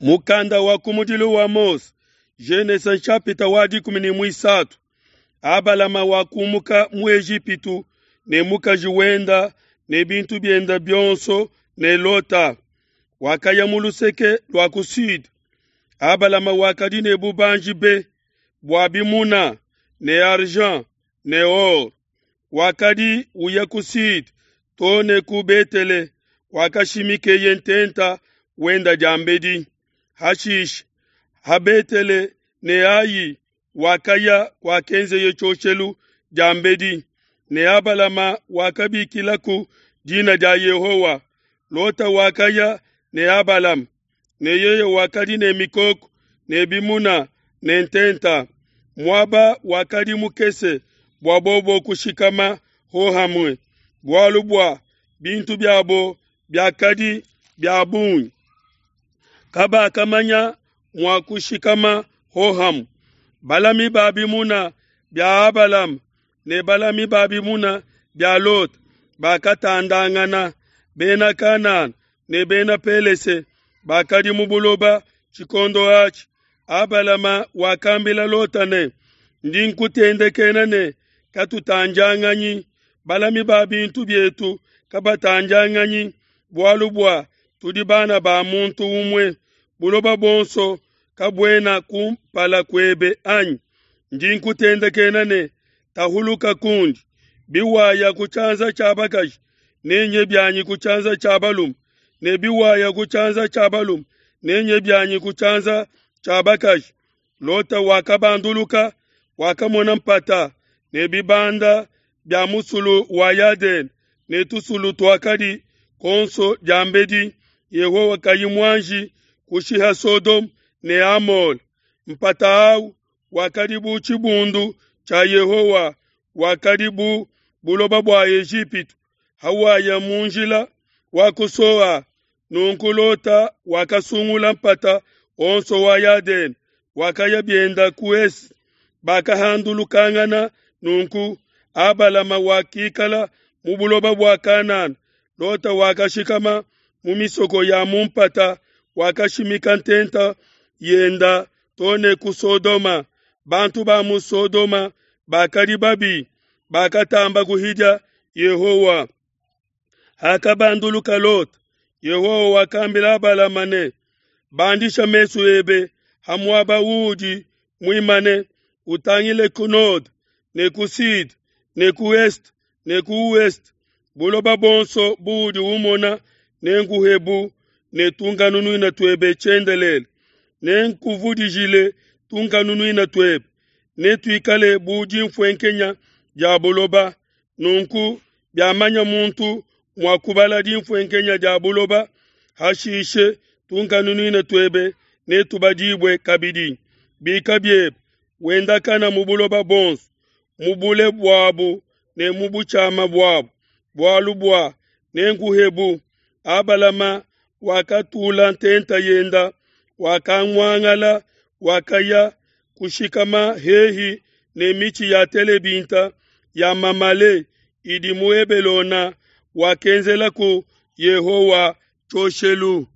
Mukanda wa kumudilu wa Mose, Genese nshapita wa 13. Abalama wakumuka mu Ejipitu ne mukaji wenda ne bintu bienda bionso ne Lota. Wakaya mu luseke lua ku sud. Abalama wakadi ne bubanji be bua bimuna ne argent ne or. Wakadi uya ku sud too ne ku Betele kuakashimikeye ntenta wenda diambedi. Hashishe ha Betele ne Ai wakaya kuakenzeye tshioshelu diambedi, ne Abalama wakabikilaku dina dia Yehowa. Lota wakaya ne Abalama, ne yeye wakadi ne mikoko ne bimuna ne ntenta. Muaba wakadi mukese bua bobo kushikama hohamue, bualu bua bintu biabo biakadi bia bungi. Kabakamanya mua kushikama hohamue. Balami ba bimuna bia Abalama ne balami ba bimuna bia Lota bakatandangana. Bena Kanana ne bena Pelese bakadi mu buloba tshikondo atshi. Abalama wakambila Lota ne, Ndi nkutendekena ne, Katutandianganyi, balami ba bintu bietu kabatandianganyi, bualu bua tudi bana ba muntu umue. Buloba buonso kabuena kumpala kuebe anyi? Ndi nkutendekena ne, Tahuluka kundi. Biwaya ku tshianza tshia bakaji, nenye bianyi ku tshianza tshia balume, ne biwaya ku tshianza tshia balume, nenye bianyi ku tshianza tshia bakaji. Lota wakabanduluka, wakamona mpata ne bibanda bia musulu wa Yadene ne tusulu tuakadi kuonso diambedi Yehowa kayi muanji kushiha Sodome ne Amole. Mpata au wakadi bu tshibundu tshia Yehowa, wakadi bu buloba bua Ejipitu, hawaya mu njila wa ku Soa. Nunku Lota wakasungula mpata onso wa Yadene, wakaya bienda ku est. Bakahandulukangana nunku, Abalama wakikala mu buloba bua Kanana, Lota wakashikama mu misoko ya mu mpata, wakashimika ntenta yenda too ne ku Sodoma. Bantu ba mu Sodoma bakadi babi, bakatamba kuhidia Yehowa. Hakabanduluka Lota, Yehowa wakambila Abalama ne, Bandisha mesu ebe ha muaba uudi muimane, utangile ku node ne ku sud ne ku est ne ku ouest. Buloba buonso buudi umona nenkuhebu ne tunkanunuina tuebe tshiendelele. Nenkuvudijile tunkanunuina tuebe, netuikale bu dinfuenkenya dia buloba. Nunku biamanya muntu mua kubala dinfuenkenya dia buloba, hashishe tunkanunuina tuebe netubadibue kabidi. Bika biebe, wendakana mu buloba buonso, mu bule buabu ne mu butshiama buabu, bualu bua nenkuhebu. Abalama wakatula ntenta yenda, wakamuangala, wakaya kushikama hehi ne mitshi ya telebinta ya Mamale idi mu Hebelona, wakenzelaku Yehowa tshioshelu.